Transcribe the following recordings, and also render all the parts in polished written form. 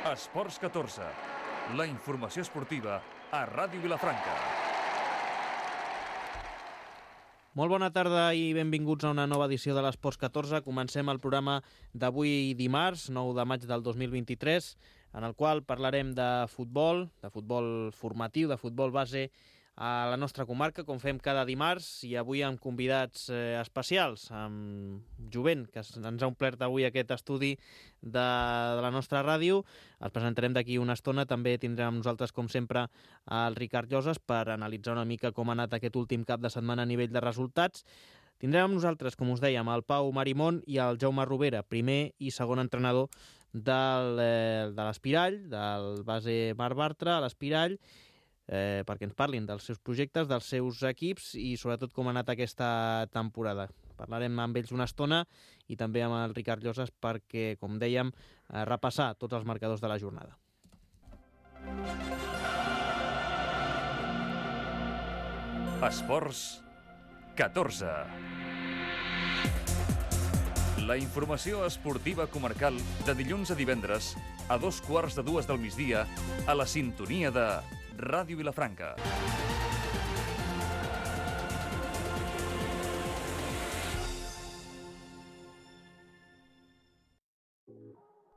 Esports 14, la informació esportiva a Ràdio Vilafranca. Molt bona tarda i benvinguts a una nova edició de l'Esports 14. Comencem el programa d'avui dimarts, 9 de maig del 2023, en el qual parlarem de futbol formatiu, de futbol base a la nostra comarca, com fem cada dimarts, i avui amb convidats especials, amb Jovent, que ens ha omplert avui aquest estudi de la nostra ràdio. Els presentarem d'aquí una estona. També tindrem amb nosaltres, com sempre, el Ricard Lloses per analitzar una mica com ha anat aquest últim cap de setmana a nivell de resultats. Tindrem amb nosaltres, com us dèiem, el Pau Marimón i el Jaume Rovera, primer i segon entrenador de l'Espirall, del base Marc Bartra a l'Espirall, perquè ens parlin dels seus projectes, dels seus equips i sobretot com ha anat aquesta temporada. Parlarem amb ells una estona i també amb el Ricard Lloses perquè, com dèiem, repassar tots els marcadors de la jornada. Esports 14. La informació esportiva comarcal de dilluns a divendres a 2:15 del migdia a la sintonia de Ràdio Vilafranca.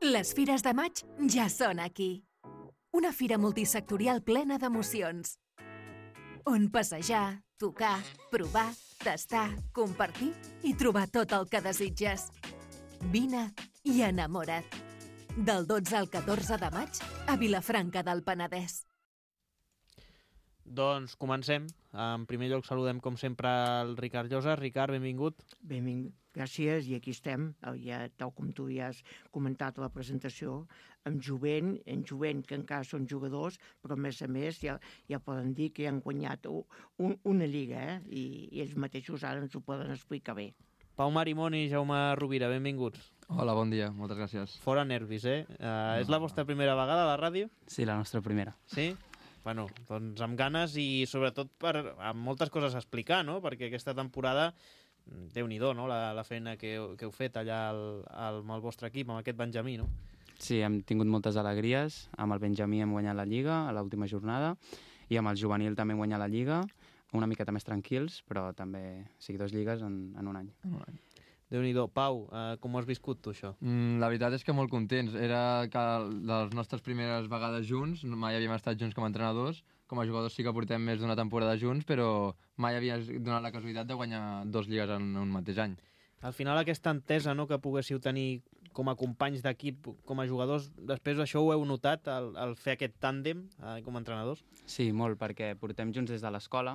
Les fires de maig ja són aquí. Una fira multisectorial plena d'emocions. On passejar, tocar, provar, tastar, compartir i trobar tot el que desitges. Vine i enamora't. Del 12 al 14 de maig a Vilafranca del Penedès. Doncs comencem. En primer lloc saludem, com sempre, el Ricard Lloses. Ricard, benvingut. Benvingut, gràcies, i aquí estem, ja, tal com tu ja has comentat a la presentació, amb Jovent, que encara són jugadors, però a més ja poden dir que han guanyat una lliga, i ells mateixos ara ens ho poden explicar bé. Pau Marimón i Jaume Rovira, benvinguts. Hola, bon dia, moltes gràcies. Fora nervis, És la vostra primera vegada a la ràdio? Sí, la nostra primera. Sí? Bueno, doncs amb ganes i sobretot amb moltes coses a explicar, no? Perquè aquesta temporada, Déu-n'hi-do, no? La feina que heu fet allà amb el vostre equip, amb aquest Benjamí, no? Sí, hem tingut moltes alegries. Amb el Benjamí hem guanyat la Lliga a l'última jornada i amb el juvenil també hem guanyat la Lliga, una miqueta més tranquils, però també, sí, 2 lligues en un any. Déu-n'hi-do. Pau, com ho has viscut tu, això? La veritat és que molt contents. Era que de les nostres primeres vegades junts, mai havíem estat junts com a entrenadors. Com a jugadors sí que portem més d'una temporada junts, però mai havia donat la casualitat de guanyar 2 lligues en un mateix any. Al final aquesta entesa, no?, que poguéssiu tenir com a companys d'equip, com a jugadors, després això ho heu notat, al fer aquest tàndem com a entrenadors? Sí, molt, perquè portem junts des de l'escola.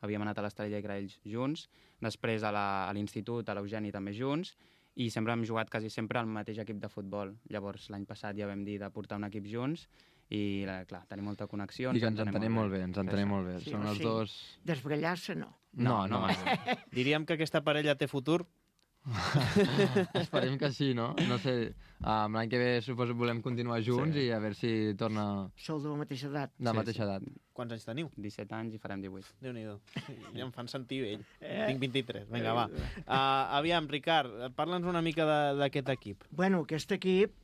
Havíem anat a l'Estrella i Graells junts, després a l'institut, a l'Eugeni també junts, i sempre hem jugat quasi sempre al mateix equip de futbol. Llavors, l'any passat ja vam dir de portar un equip junts i, clar, tenim molta connexió. I que ens entenem molt bé, Sí, són els dos... Desbrallar-se no. No. Diríem que aquesta parella té futur? Esperem que sí, no? No sé, l'any que ve suposo volem continuar junts, sí. I a veure si torna... Sou de la mateixa edat. De la mateixa edat. Quants anys teniu? 17 anys i farem 18. Déu-n'hi-do. Ja em fan sentir vell. Tinc 23. Vinga, va. Aviam, Ricard, parla'ns una mica d'aquest equip. Bueno, aquest equip...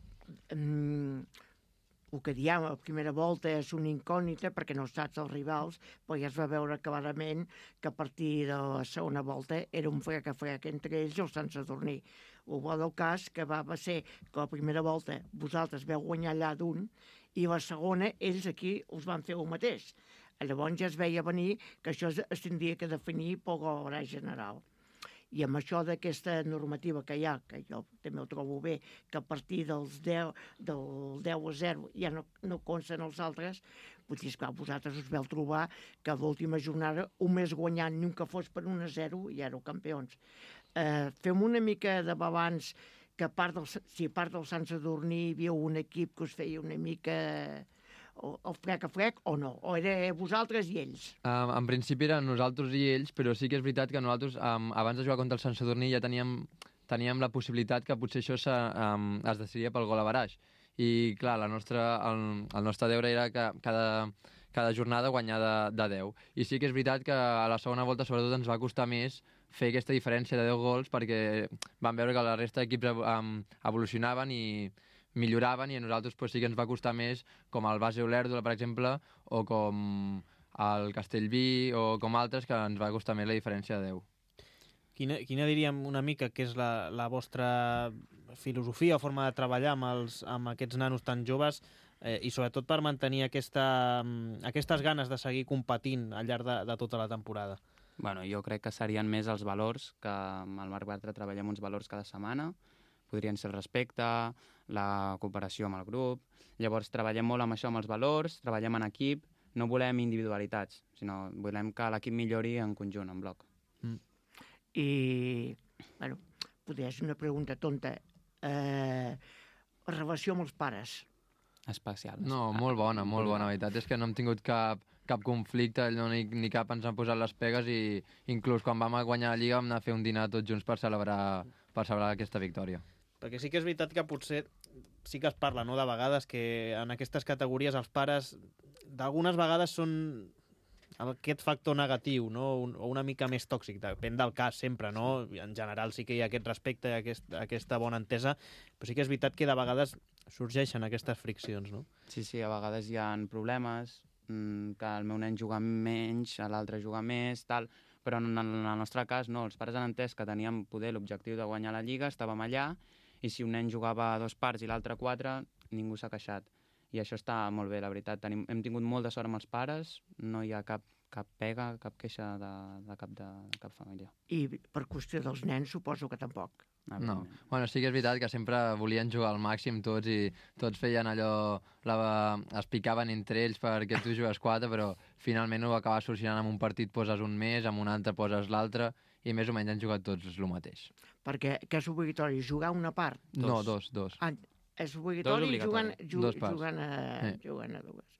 el que diem a la primera volta és una incògnita perquè no saps els rivals, però ja es va veure clarament que a partir de la segona volta era un frec entre ells i el Sant Sadurní. El bo del cas que va ser que la primera volta vosaltres veu guanyar allà d'un i la segona ells aquí us van fer el mateix. Llavors ja es veia venir que això es tindria que definir per l'hora general. I amb això d'aquesta normativa que hi ha, que jo també ho trobo bé, que a partir del 10 a 0 ja no consten els altres, potser, esclar, vosaltres us veu trobar que a l'última jornada un més guanyant ni un que fos per 1-0 i éreu campions. Fem una mica de balanç que a part del Sant Sadurní hi havia un equip que us feia una mica... el frec a frec o no? O era vosaltres i ells? En principi eren nosaltres i ells, però sí que és veritat que nosaltres, abans de jugar contra el Sant Sadurní, ja teníem la possibilitat que potser això es decidia pel gol a baraix. I, clar, el nostre deure era que cada jornada guanyar de 10. I sí que és veritat que a la segona volta, sobretot, ens va costar més fer aquesta diferència de 10 gols perquè vam veure que la resta d'equips evolucionaven i milloraven i a nosaltres pues, sí que ens va costar més, com el Base Olèrdola, per exemple, o com el Castellví, o com altres, que ens va costar més la diferència de 10. Quina diríem una mica que és la vostra filosofia o forma de treballar amb aquests nanos tan joves i sobretot per mantenir aquestes ganes de seguir competint al llarg de tota la temporada? Bueno, jo crec que serien més els valors, que amb el Marc Bartra treballem uns valors cada setmana, podrien ser el respecte, la cooperació amb el grup. Llavors treballem molt amb això, amb els valors, treballem en equip, no volem individualitats, sinó volem que l'equip millori en conjunt, en bloc. I, bueno, potser és una pregunta tonta. Relació amb els pares. Especial. No, molt bona, la veritat és que no hem tingut cap conflicte, ni cap ens han posat les pegues i inclús quan vam guanyar la Lliga vam anar a fer un dinar tots junts per celebrar aquesta victòria. Perquè sí que és veritat que potser sí que es parla, no?, de vegades que en aquestes categories els pares d'algunes vegades són aquest factor negatiu, no?, o una mica més tòxic, depèn del cas sempre, no? En general sí que hi ha aquest respecte i aquesta bona entesa, però sí que és veritat que de vegades sorgeixen aquestes friccions, no? Sí, a vegades hi ha problemes, que el meu nen juga menys, l'altre juga més, tal, però en el nostre cas no, els pares han entès que teníem poder l'objectiu de guanyar la Lliga, estàvem allà, i si un nen jugava 2 parts i l'altre 4, ningú s'ha queixat. I això està molt bé, la veritat. Hem tingut molt de sort amb els pares, no hi ha cap pega, cap queixa de cap família. I per qüestió dels nens suposo que tampoc. No. Bueno, sí que és veritat que sempre volien jugar al màxim tots i tots feien allò, es picaven entre ells perquè tu jugues 4, però finalment ho acabes solucionant amb un partit poses un més, amb un altre poses l'altre i més o menys han jugat tots el mateix. Perquè què és obligatori? Jugar una part? No, dos. Ah, és obligatori jugant a dues.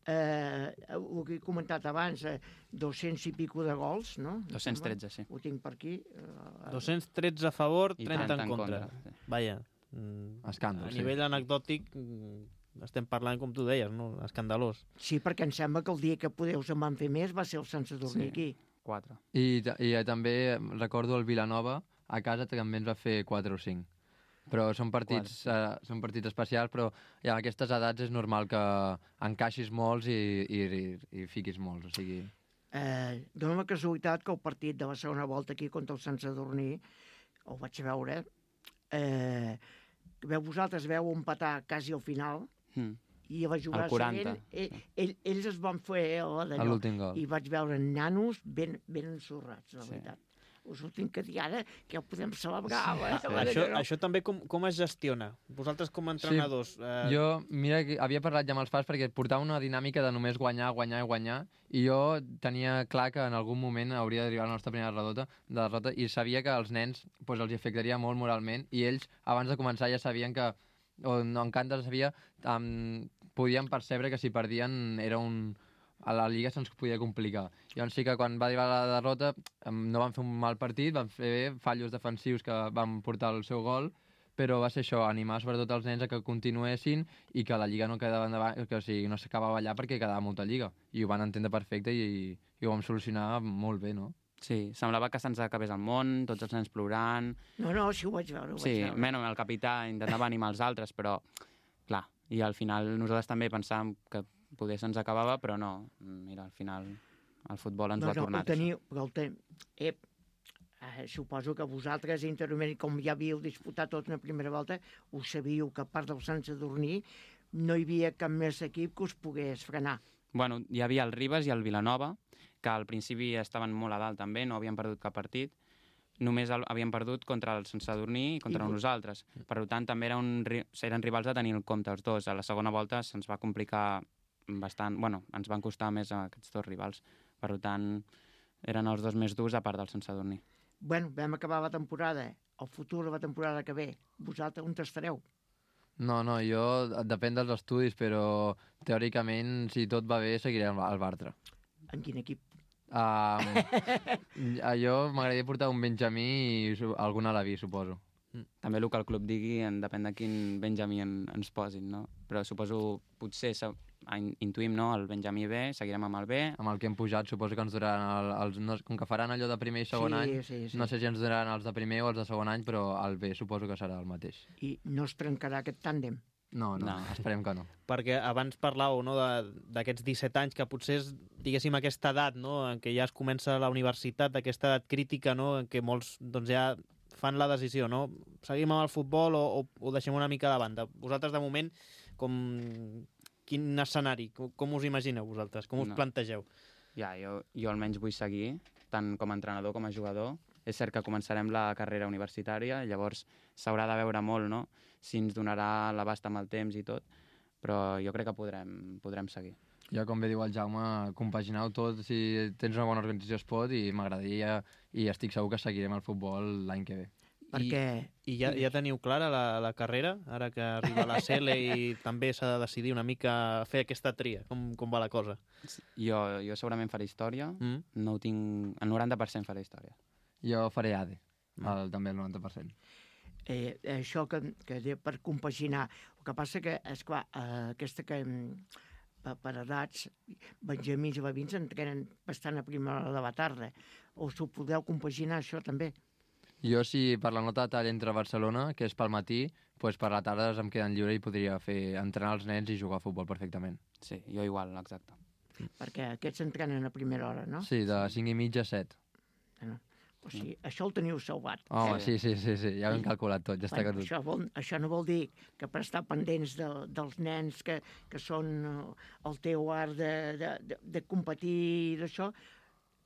Ho que he comentat abans, 200 i pico de gols, no? 213, sí. Ho tinc per aquí. 213 a favor, 30 en contra. Sí. Vaja. Escàndol, a nivell anecdòtic estem parlant, com tu deies, no? Escandalós. Sí, perquè em sembla que el dia que Podeus en van fer més va ser el Sant Sadurní aquí. 4. I també recordo el Vilanova, a casa també ens va fer 4 o 5. Però són partits especials, però ja a aquestes edats és normal que encaixis molts i fiquis molts, o sigui... Dóna la casualitat que el partit de la segona volta aquí contra el Sant Sadurní, el vaig veure, vosaltres veu empatar quasi al final, i a la jugada següent ells es van fer l'últim gol. I vaig veure nanos ben ensorrats, la veritat. Us ho tinc que dir ara, que ho podem celebrar. Això també com es gestiona? Vosaltres com a entrenadors... Jo, mira, havia parlat ja amb els pares perquè portava una dinàmica de només guanyar, i jo tenia clar que en algun moment hauria d'arribar la nostra primera derrota i sabia que als nens els afectaria molt moralment i ells, abans de començar, ja sabien que, o no, encara sabia, podien percebre que si perdien era a la Lliga se'ns podia complicar. Llavors sí que quan va arribar la derrota no van fer un mal partit, van fer fallos defensius que van portar el seu gol, però va ser això, animar sobretot els nens a que continuessin i que la Lliga no quedava endavant, que o sigui, no s'acabava allà perquè quedava molta Lliga. I ho van entendre perfecte i ho vam solucionar molt bé, no? Sí, semblava que se'ns acabés el món, tots els nens plorant... No, sí ho vaig veure. Sí, el capità intentava animar els altres, però, clar, i al final nosaltres també pensàvem que poder se'ns acabava, però no. Mira, al final el futbol ens ho ha tornat. Suposo que vosaltres, interiorment, com ja havíeu disputat tot una primera volta, ho sabíeu que a part del Sant Sadurní no hi havia cap més equip que us pogués frenar. Bueno, hi havia el Ribes i el Vilanova, que al principi estaven molt a dalt també, no havien perdut cap partit. Només havíem perdut contra el Sant Sadurní i contra nosaltres. Per tant, també eren rivals a tenir el compte els dos. A la segona volta se'ns va complicar bastant... Bueno, ens van costar més aquests dos rivals. Per tant, eren els dos més durs a part del Sant Sadurní. Bueno, vam acabar la temporada. El futur de la temporada que ve, vosaltres on estareu? No, jo depèn dels estudis, però teòricament, si tot va bé, seguiré al Bartra. En quin equip? Jo m'agradaria portar un Benjamí i algun Alaví, suposo. També el que el club digui, depèn de quin Benjamí ens posin, no? Però suposo, potser intuïm, no? El Benjamí B, seguirem amb el B. Amb el que hem pujat, suposo que ens duraran com que faran allò de primer i segon any, sí. No sé si ens duraran els de primer o els de segon any, però el B suposo que serà el mateix. I no es trencarà aquest tàndem? No, esperem que no. Perquè abans parlàveu, no, d'aquests 17 anys, que potser és, diguéssim, aquesta edat, no?, en què ja es comença la universitat, aquesta edat crítica, no?, en què molts doncs, ja fan la decisió, no? Seguim amb el futbol o deixem una mica de banda. Vosaltres, de moment, quin escenari? Com us imagineu vosaltres? Com us plantegeu? Ja, jo almenys vull seguir, tant com a entrenador com a jugador. És cert que començarem la carrera universitària, llavors s'haurà de veure molt, no?, si ens donarà l'abast amb el temps i tot, però jo crec que podrem seguir. Ja, com bé diu el Jaume, compaginar-ho tot, si tens una bona organització es pot, i m'agradaria, i estic segur que seguirem el futbol l'any que ve. I ja teniu clara la carrera, ara que arriba la CL i també s'ha de decidir una mica fer aquesta tria, com va la cosa? Jo segurament faré història, no ho tinc... El 90% faré història. Jo faré ADE, també el 90%. Això que per compaginar, el que passa que, esclar, aquesta que per edats, benjamins i bavins entrenen bastant a primera hora de la tarda, o s'ho podeu compaginar això també? Jo, si per la nota de tall entre Barcelona, que és pel matí, doncs per la tarda em queden lliure i podria entrenar els nens i jugar a futbol perfectament. Sí, jo igual, exacte. Perquè aquests entrenen a primera hora, no? Sí, de 5:30 a 7. O sigui, això ho teniu salvat. Home, sí, ja ho hem calculat tot, ja està que tot. Això no vol dir que per estar pendents dels nens que són el teu art de competir i d'això,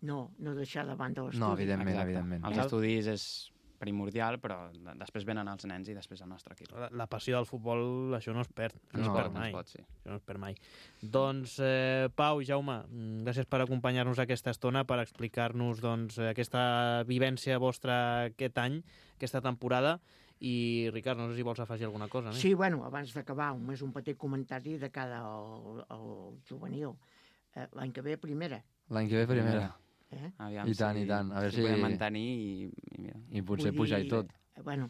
no deixar de banda l'estudi. No, evidentment. Els estudis és primordial, però després venen els nens i després el nostre equip. La passió del futbol, això no es perd. No es perd mai. Doncs, Pau i Jaume, gràcies per acompanyar-nos aquesta estona, per explicar-nos aquesta vivència vostra aquest any, aquesta temporada. I, Ricard, no sé si vols afegir alguna cosa. Sí, bueno, abans d'acabar, només un petit comentari de cara al juvenil. L'any que ve, primera. L'any que ve, primera. Aviam, I tant. A veure si podem mantenir i potser pujar i tot. Bueno,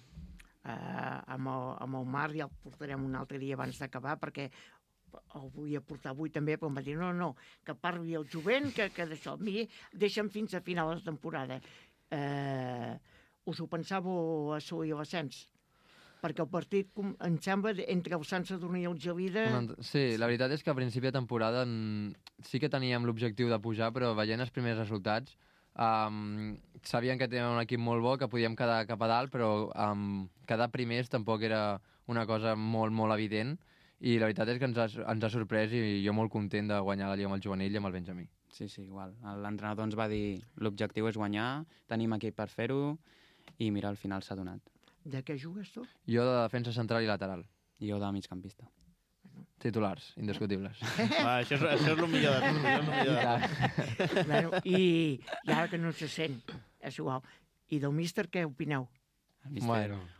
amb el Marc ja el portarem un altre dia abans d'acabar, perquè el volia portar avui també, però em va dir no, que parli el jovent, que d'això. Deixa'm fins a final de temporada. Us ho pensàveu assolir l'ascens? Perquè el partit, em sembla, entre el Sant Sadurní i el Gelida... Sí, la veritat és que a principi de temporada sí que teníem l'objectiu de pujar, però veient els primers resultats sabíem que teníem un equip molt bo, que podíem quedar cap a dalt, però quedar primers tampoc era una cosa molt, molt evident, i la veritat és que ens ha sorprès i jo molt content de guanyar la Lliga amb el juvenil i amb el Benjamí. Sí, igual. L'entrenador ens va dir l'objectiu és guanyar, tenim equip per fer-ho, i mira, al final s'ha donat. De què jugues tu? Jo de defensa central i lateral. I jo de migcampista. Titulars, indiscutibles. Això és el millor de tot. I ara que no se sent, és igual. I del míster què opineu?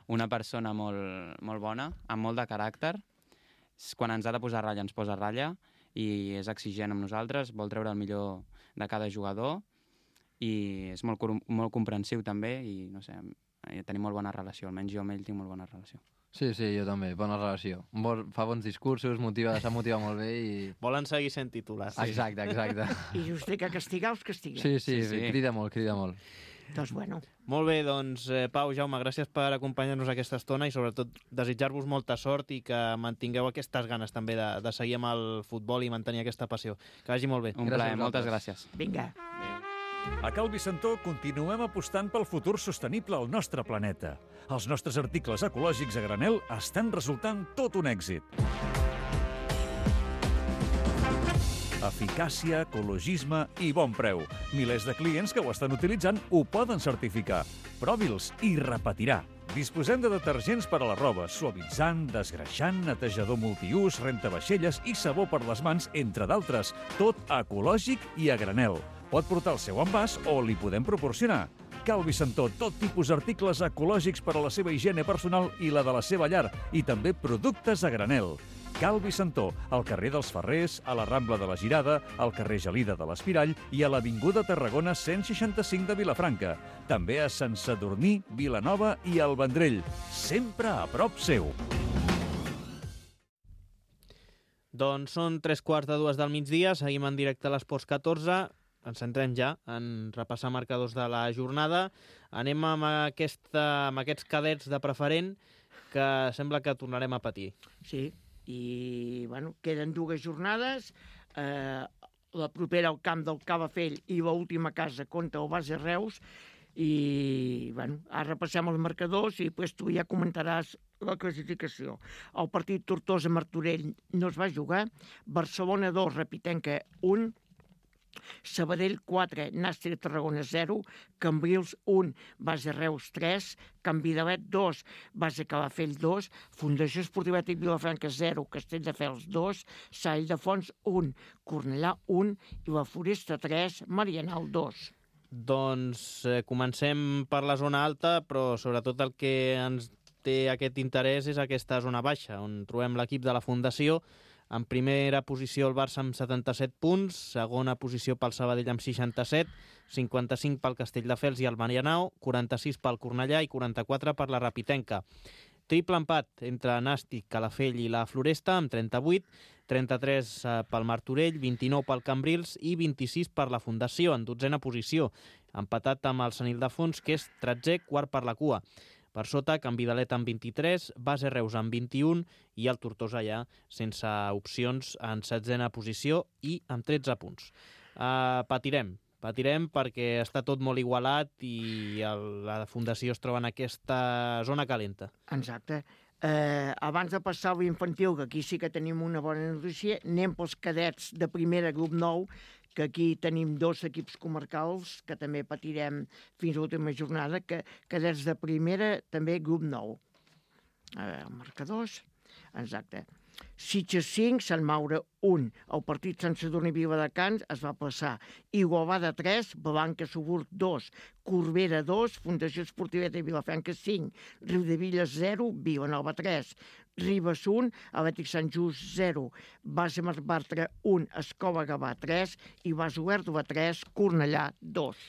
Una persona molt bona, amb molt de caràcter. Quan ens ha de posar ratlla, ens posa ratlla, i és exigent amb nosaltres, vol treure el millor de cada jugador, i és molt comprensiu també, i no sé... Tenim molt bona relació, almenys jo amb ell tinc molt bona relació. Sí, jo també, bona relació. Fa bons discursos, s'ha motivat molt bé i... Volen seguir sent titulars. Exacte. I just que castigar els castiga. Sí, crida molt. Doncs bueno. Molt bé, doncs Pau, Jaume, gràcies per acompanyar-nos aquesta estona i sobretot desitjar-vos molta sort i que mantingueu aquestes ganes també de seguir amb el futbol i mantenir aquesta passió. Que vagi molt bé. Un plaer, moltes gràcies. Vinga. A Cal Vicentó continuem apostant pel futur sostenible al nostre planeta. Els nostres articles ecològics a granel estan resultant tot un èxit. Eficàcia, ecologisme i bon preu. Milers de clients que ho estan utilitzant ho poden certificar. Provi'ls i repetirà. Disposem de detergents per a la roba, suavitzant, desgreixant, netejador multiús, rentavaixelles i sabó per les mans, entre d'altres. Tot ecològic i a granel. Pot portar el seu envàs o li podem proporcionar. Cal Vicentó, tot tipus d'articles ecològics per a la seva higiene personal i la de la seva llar, i també productes a granel. Cal Vicentó, al carrer dels Ferrers, a la Rambla de la Girada, al carrer Gelida de l'Espirall i a l'Avinguda Tarragona 165 de Vilafranca. També a Sant Sadurní, Vilanova i el Vendrell. Sempre a prop seu. Doncs són 3:15 del migdia, seguim en directe a l'Esports 14. ens centrem ja en repassar marcadors de la jornada. Anem amb aquests cadets de preferent que sembla que tornarem a patir. Sí, i bueno, queden 2 jornades, la propera al camp del Calafell i l'última casa contra el Base Reus, i bueno, ara repassem els marcadors i després tu ja comentaràs la classificació. El partit Tortosa-Martorell no es va jugar, Barcelona 2, Repitenca 1, Sabadell 4, Nàstic Tarragona 0, Cambrils 1, Base Reus 3, Canvidalet 2, Base Calafell 2, Fundació Esportiva Tic Vilafranca 0, Castelldefels 2, Sant Ildefons 1, Cornellà 1 i la Foresta 3, Marianal 2. Doncs comencem per la zona alta, però sobretot el que ens té aquest interès és aquesta zona baixa, on trobem l'equip de la Fundació. En primera posició el Barça amb 77 punts, segona posició pel Sabadell amb 67, 55 pel Castelldefels i el Marianao, 46 pel Cornellà i 44 per la Repitenca. Triple empat entre Nàstic, Calafell i la Floresta amb 38, 33 pel Martorell, 29 pel Cambrils i 26 per la Fundació, en 12a posició, empatat amb el Sant Ildefons, que és 13è, quart per la cua. Per sota, Canvidalet amb 23, Base Reus amb 21 i el Tortosa ja sense opcions en 16a posició i amb 13 punts. Patirem perquè està tot molt igualat i la Fundació es troba en aquesta zona calenta. Exacte. Abans de passar a l'infantil, que aquí sí que tenim una bona notícia, anem pels cadets de primera, grup 9, que aquí tenim 2 equips comarcals que també patirem fins a l'última jornada, que cadets de primera també grup 9. Marcadors, exacte. Sitges 5, Sant Maure 1. El partit Sant Sadurní Viladecans es va passar. Igualada 3, Blanca Subur 2, Corbera 2, Fundació Esportiva de Vilafranca 5, Riudevilles 0, Vilanova 3, Ribes 1, Atlètic Sant Just 0, Base Bartra 1, Escola Gavà 3 i Base Olèrdola 3, Cornellà 2.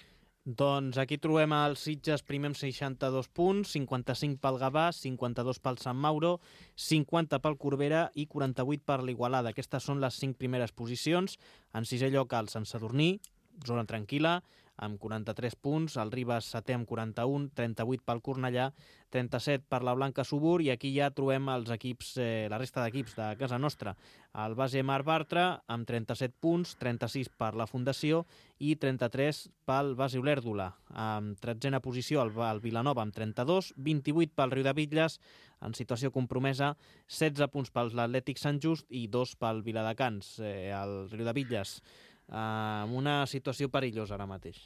Doncs aquí trobem el Sitges primer amb 62 punts, 55 pel Gavà, 52 pel Sant Mauro, 50 pel Corbera i 48 per l'Igualada. Aquestes són les 5 primeres posicions. En 6è lloc el Sant Sadurní, zona tranquil·la, amb 43 punts, el Ribes 7è amb 41, 38 pel Cornellà, 37 per la Blanca Subur, i aquí ja trobem els equips, la resta d'equips de casa nostra. El Base Mar Bartra amb 37 punts, 36 per la Fundació i 33 pel Base Olèrdola. En 13a posició el Vilanova amb 32, 28 pel Riudebitlles, en situació compromesa, 16 punts per l'Atlètic Sant Just i 2 pel Viladecans. El Riudebitlles amb una situació perillosa ara mateix.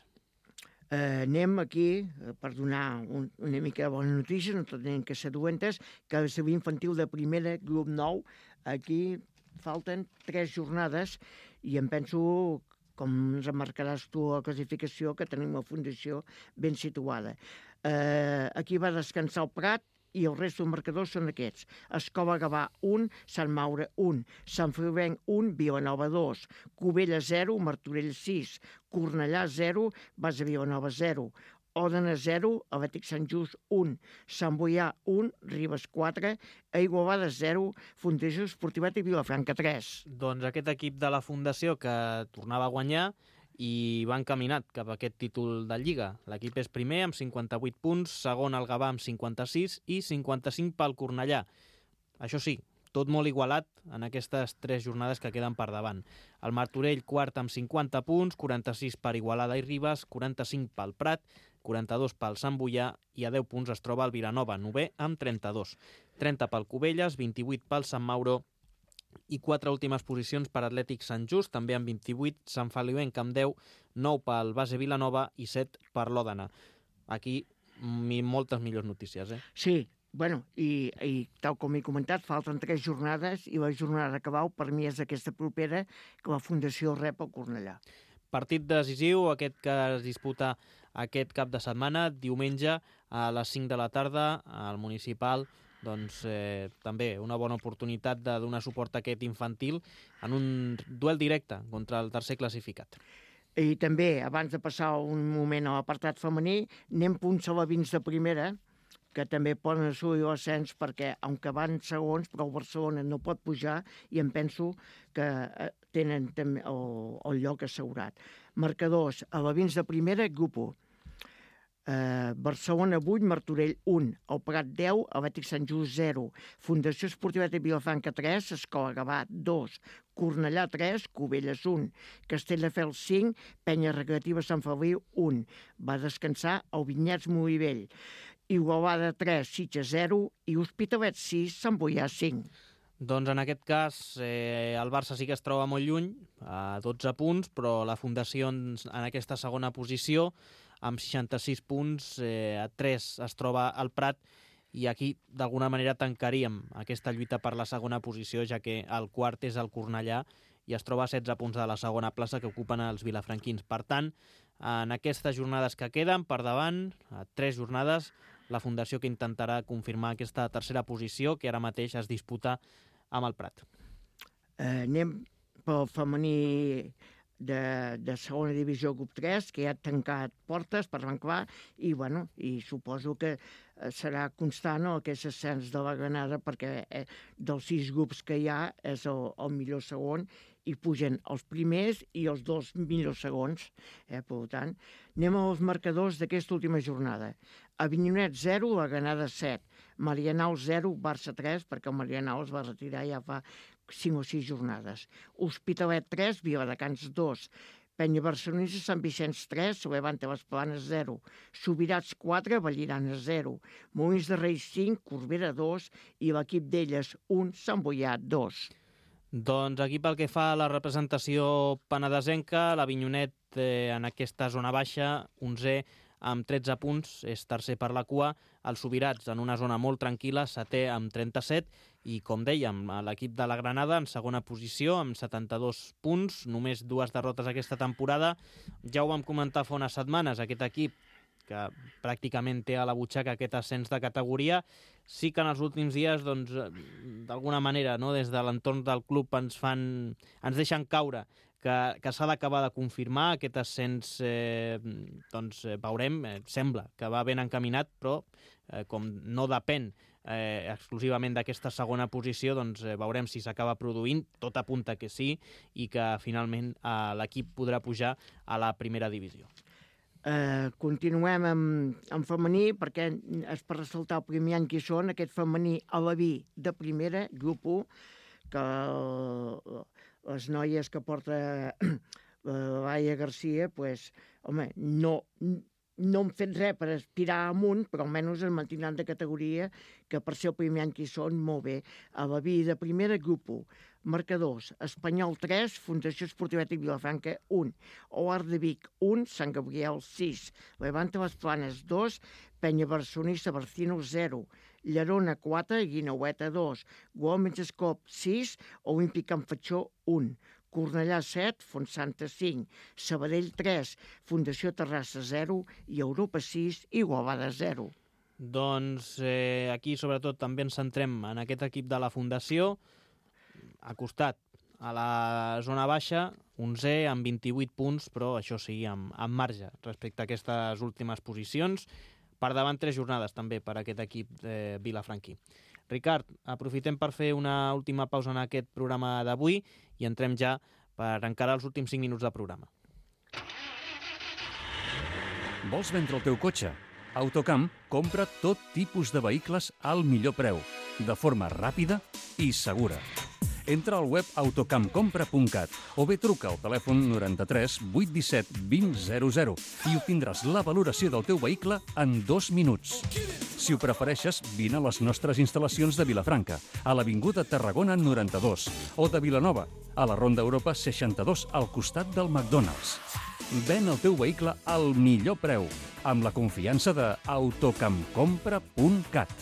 Anem aquí, per donar una mica de bones notícies, no tenen que ser dolentes, que el seu infantil de primera, grup 9, aquí falten 3 jornades i em penso, com ens marcaràs tu a la classificació, que tenim la Fundació ben situada. Aquí va descansar el Prat, i el resta dels marcadors són aquests. Escola Gavà 1, Sant Maure 1, Sant Feliuenc 1, Vilanova 2, Cubella 0, Martorell 6, Cornellà 0, Base Vilanova 0, Òdena 0, Atlètic Sant Just 1, Sant Boià 1, Ribes 4, Igualada 0, Fundació Esportiva Tic Vilafranca 3. Doncs aquest equip de la Fundació que tornava a guanyar i va encaminat cap a aquest títol de Lliga. L'equip és primer amb 58 punts, segon el Gavà amb 56 i 55 pel Cornellà. Això sí, tot molt igualat en aquestes 3 jornades que queden per davant. El Martorell quart amb 50 punts, 46 per Igualada i Ribes, 45 pel Prat, 42 pel Sant Boià i a 10 punts es troba el Vilanova, 9è amb 32. 30 pel Cubelles, 28 pel Sant Mauro i 4 últimes posicions per Atlètic Sant Just, també amb 28, Sant Feliuenc amb 10, 9 pel Base Vilanova i 7 per l'Òdena. Aquí moltes millors notícies, Sí, bueno, i tal com he comentat, falten 3 jornades i la jornada que vau per mi és aquesta propera que la Fundació rep al Cornellà. Partit decisiu, aquest que es disputa aquest cap de setmana, diumenge a les 5 de la tarda al Municipal. Doncs també una bona oportunitat de donar suport a aquest infantil en un duel directe contra el tercer classificat. I també, abans de passar un moment a l'apartat femení, anem punts alevins de primera, que també poden assolir l'ascens perquè, aunque van segons, però el Barcelona no pot pujar i em penso que tenen també el lloc assegurat. Marcadors: Alevins de primera, grup 1. Barcelona 8, Martorell 1, el Prat 10, Atlètic Sant Just 0, Fundació Esportiva de Vilafranca 3, Escola Gavà 2, Cornellà 3, Cubelles 1, Castelldefels 5, Penya Recreativa Sant Feliu 1. Va descansar el Vinyets Molivell. Igualada 3, Sitges 0 i Hospitalet 6, Sant Boià 5. Doncs en aquest cas el Barça sí que es troba molt lluny, a 12 punts, però la Fundació en aquesta segona posició, amb 66 punts, a 3 es troba el Prat, i aquí d'alguna manera tancaríem aquesta lluita per la segona posició, ja que el quart és el Cornellà i es troba a 16 punts de la segona plaça que ocupen els vilafranquins. Per tant, en aquestes jornades que queden per davant, a 3 jornades, la Fundació que intentarà confirmar aquesta tercera posició que ara mateix es disputa amb el Prat. Anem pel femení de segona divisió grup 3, que ja ha tancat portes per l'enclar, i suposo que serà constant aquest ascens de la Granada, perquè dels 6 grups que hi ha és el millor segon, i pugen els primers i els 2 millors segons. Per tant, anem als marcadors d'aquesta última jornada. Avinyonet 0, la Granada 7, Marianao 0, Barça 3, perquè el Marianao es va retirar ja fa 5 o 6 jornades. Hospitalet 3, Viladecans 2, Penya Barcelonista, Sant Vicenç 3, Levante Les Planes 0, Subirats 4, Vallirana 0, Molins de Reis 5, Corbera 2 i l'equip d'elles 1, Sant Boià 2. Doncs aquí pel que fa a la representació penedesenca, l'Avinyonet en aquesta zona baixa, 11è amb 13 punts, és tercer per la cua, els Subirats en una zona molt tranquil·la, setè amb 37, i com dèiem, l'equip de la Granada en segona posició amb 72 punts, només 2 derrotes aquesta temporada. Ja ho vam comentar fa unes setmanes, aquest equip que pràcticament té a la butxaca aquest ascens de categoria, sí que en els últims dies, doncs, d'alguna manera, no, des de l'entorn del club ens deixen caure que s'ha d'acabar de confirmar aquest ascens, veurem, sembla que va ben encaminat, però com no depèn exclusivament d'aquesta segona posició, doncs veurem si s'acaba produint, tot apunta que sí, i que finalment l'equip podrà pujar a la primera divisió. Continuem amb femení, perquè és per ressaltar el primer any que hi són, aquest femení Aleví de primera, grup 1, que les noies que porta Laia Garcia, doncs, home, no han fet res per aspirar amunt, però almenys es mantindran de categoria, que per ser el primer any que hi són, molt bé. Aleví de primera, grup 1. Marcadors: Espanyol 3, Fundació Esportiva de Vilafranca 1, Oar de Vic 1, Sant Gabriel 6, Levante Les Planes 2, Penya Barcelonista Barcino 0, Llerona 4, Guineueta 2, Gualmens Escop 6, Olímpic Can Fatxó 1, Cornellà 7, Fontsanta 5, Sabadell 3, Fundació Terrassa 0 i Europa 6, Igualada 0. Doncs aquí sobretot també ens centrem en aquest equip de la Fundació, acostat a la zona baixa, 11è amb 28 punts, però això sí, amb marge respecte a aquestes últimes posicions. Per davant 3 jornades també per aquest equip vilafranquí. Ricard, aprofitem per fer una última pausa en aquest programa d'avui i entrem ja per encarar els últims 5 minuts de programa. Vols vendre el teu cotxe? Autocamp compra tot tipus de vehicles al millor preu, de forma ràpida i segura. Entra al web autocampcompra.cat o bé truca al telèfon 93 817 2000 i obtindràs la valoració del teu vehicle en 2 minuts. Si ho prefereixes, vine a les nostres instal·lacions de Vilafranca, a l'Avinguda Tarragona 92, o de Vilanova, a la Ronda Europa 62, al costat del McDonald's. Ven el teu vehicle al millor preu, amb la confiança de autocampcompra.cat.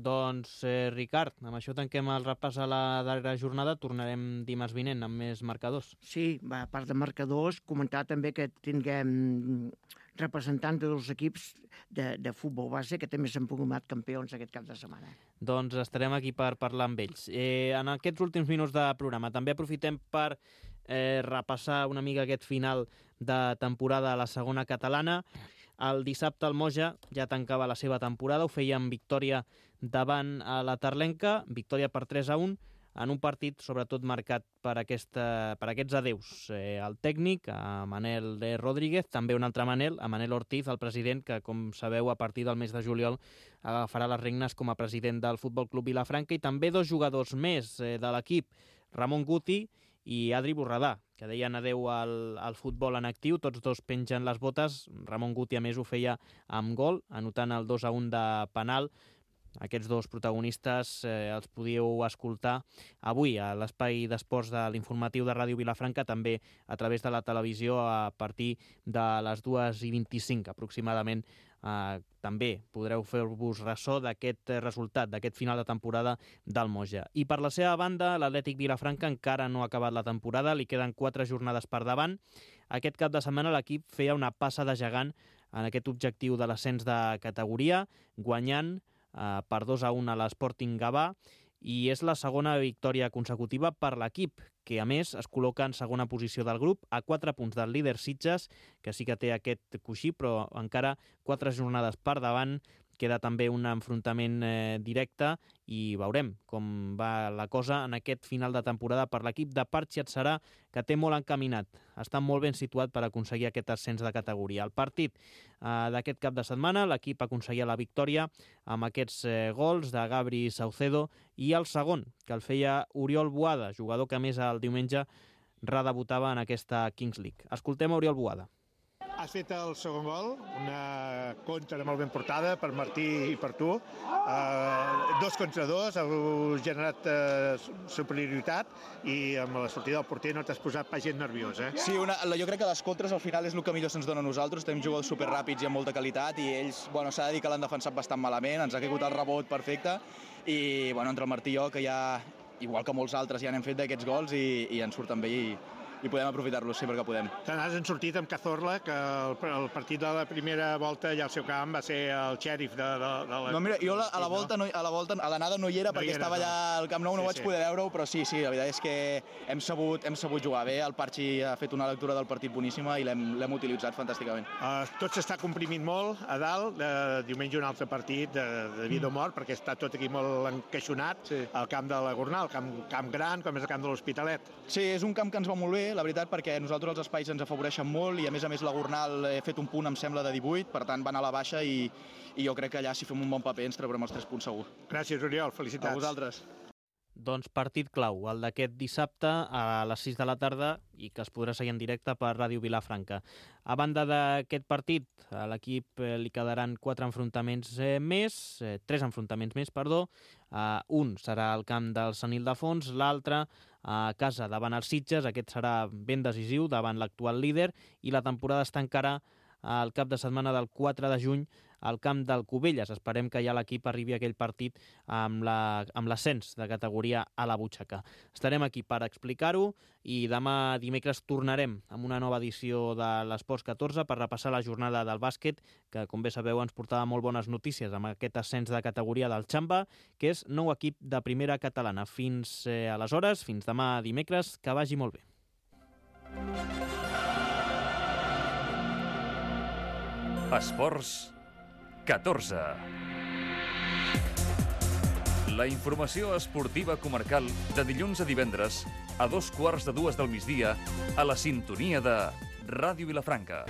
Doncs, Ricard, amb això tanquem el repàs a la darrera jornada. Tornarem dimarts vinent amb més marcadors. Sí, a part de marcadors, comentar també que tinguem representants de 2 equips de futbol base que també s'han proclamat campions aquest cap de setmana. Doncs estarem aquí per parlar amb ells. En aquests últims minuts de programa també aprofitem per repassar una mica aquest final de temporada a la segona catalana. El dissabte el Moja ja tancava la seva temporada, ho feia amb victòria davant a la Tarlenca, victòria per 3-1. en un partit sobretot marcat per aquests adeus. El tècnic, a Manel Rodríguez, també un altre Manel, a Manel Ortiz, el president, que com sabeu a partir del mes de juliol agafarà les regnes com a president del Futbol Club Vilafranca, i també 2 jugadors més de l'equip, Ramon Guti i Adri Borredà, que deien adeu al futbol en actiu. Tots dos pengen les botes. Ramon Guti, a més, ho feia amb gol, anotant el 2-1 de penal. Aquests dos protagonistes els podíeu escoltar avui a l'espai d'esports de l'informatiu de Ràdio Vilafranca, també a través de la televisió a partir de les 2:25 aproximadament. També podreu fer-vos ressò d'aquest resultat, d'aquest final de temporada del Moja. I per la seva banda, l'Atlètic Vilafranca encara no ha acabat la temporada, li queden 4 jornades per davant. Aquest cap de setmana l'equip feia una passa de gegant en aquest objectiu de l'ascens de categoria, guanyant per 2-1 a l'Sporting Gavà, i és la segona victòria consecutiva per l'equip, que a més es col·loca en segona posició del grup, a 4 punts del líder Sitges, que sí que té aquest coixí, però encara 4 jornades per davant. Queda també un enfrontament directe i veurem com va la cosa en aquest final de temporada per l'equip de Parchi Adserà, que té molt encaminat. Està molt ben situat per aconseguir aquest ascens de categoria. El partit d'aquest cap de setmana, l'equip aconseguia la victòria amb aquests gols de Gabri Saucedo, i el segon, que el feia Oriol Boada, jugador que a més el diumenge redebutava en aquesta Kings League. Escoltem a Oriol Boada. Has fet el segon gol, una contra molt ben portada per Martí i per tu. 2 contra 2, heu generat superioritat, i amb la sortida del porter no t'has posat pas gent nerviós, eh? Sí, jo crec que les contres al final és el que millor se'ns dona a nosaltres. Tenim jugadors superràpids i amb molta qualitat, i ells, s'ha de dir que l'han defensat bastant malament, ens ha caigut el rebot perfecte, i entre el Martí i jo, que ja, igual que molts altres, ja n'hem fet d'aquests gols i ens surten bé, i podem aprofitar-los sempre que podem. Te n'has sortit amb Cazorla, que el partit de la primera volta allà al seu camp va ser el xèrif de la... No, mira, jo a l'anada no hi era, perquè estava allà al Camp Nou, no vaig poder veure-ho, però sí, la veritat és que hem sabut jugar bé. El Parchi ha fet una lectura del partit boníssima i l'hem utilitzat fantàsticament. Tot s'està comprimint molt a dalt. Diumenge un altre partit de vida o mort, perquè està tot aquí molt encaixonat, al camp de la Gornal, camp gran, com és el camp de l'Hospitalet. Sí, és un camp que ens va molt bé, la veritat, perquè nosaltres els espais ens afavoreixen molt, i a més la Gornal he fet un punt, em sembla, de 18, per tant va anar a la baixa, i jo crec que allà, si fem un bon paper, ens traurem els 3 punts segur. Gràcies, Oriol, felicitats. A vosaltres. Doncs partit clau, el d'aquest dissabte a les 6 de la tarda, i que es podrà seguir en directe per Ràdio Vilafranca. A banda d'aquest partit, a l'equip li quedaran 3 enfrontaments més. Un serà al camp del Sant Ildefons, l'altre a casa davant els Sitges. Aquest serà ben decisiu davant l'actual líder, i la temporada està encara al cap de setmana del 4 de juny al camp del Cubelles. Esperem que ja l'equip arribi a aquell partit amb l'ascens de categoria a la butxaca. Estarem aquí per explicar-ho, i demà dimecres tornarem amb una nova edició de l'Esports 14 per repassar la jornada del bàsquet, que, com bé sabeu, ens portava molt bones notícies amb aquest ascens de categoria del Xamba, que és nou equip de primera catalana. Fins aleshores, fins demà dimecres, que vagi molt bé. Esports 14. La informació esportiva comarcal de dilluns a divendres a 2:15 del migdia a la sintonia de Ràdio Vilafranca.